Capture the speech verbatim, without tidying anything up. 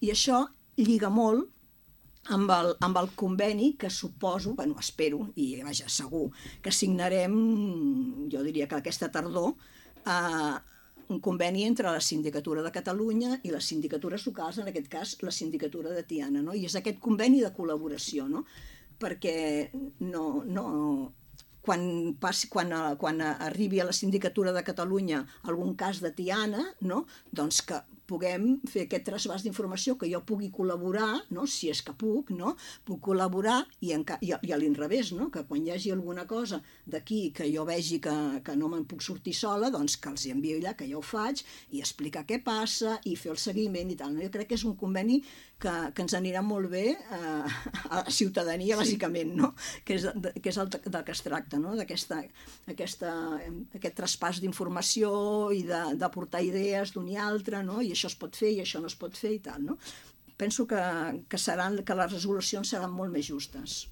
I això lliga molt amb el, amb el conveni que suposo, bueno, espero, i vaja, segur, que signarem, jo diria que aquesta tardor, eh, un conveni entre la Sindicatura de Catalunya i les sindicatures locals, en aquest cas la Sindicatura de Tiana, no? I és aquest conveni de col·laboració, no? Perquè no, no, quan, passi, quan, quan arribi a la Sindicatura de Catalunya algun cas de Tiana, no? Doncs que puguem fer aquest trasbàs d'informació, que jo pugui col·laborar, no? Si és que puc, no? Puc col·laborar i, en, i, i a l'inrevés, no? Que quan hi hagi alguna cosa d'aquí que jo vegi que, que no me'n puc sortir sola, doncs que els envio allà, que ja ho faig, i explicar què passa i fer el seguiment i tal. No? Jo crec que és un conveni que, que ens anirà molt bé eh, a la ciutadania, bàsicament, no? Que és, de, que és el del que es tracta, no? D'aquesta, aquesta, aquest traspàs d'informació i d'aportar idees d'un i altre, no? I això es pot fer i això no es pot fer i tal, no? Penso que, que, seran, que les resolucions seran molt més justes.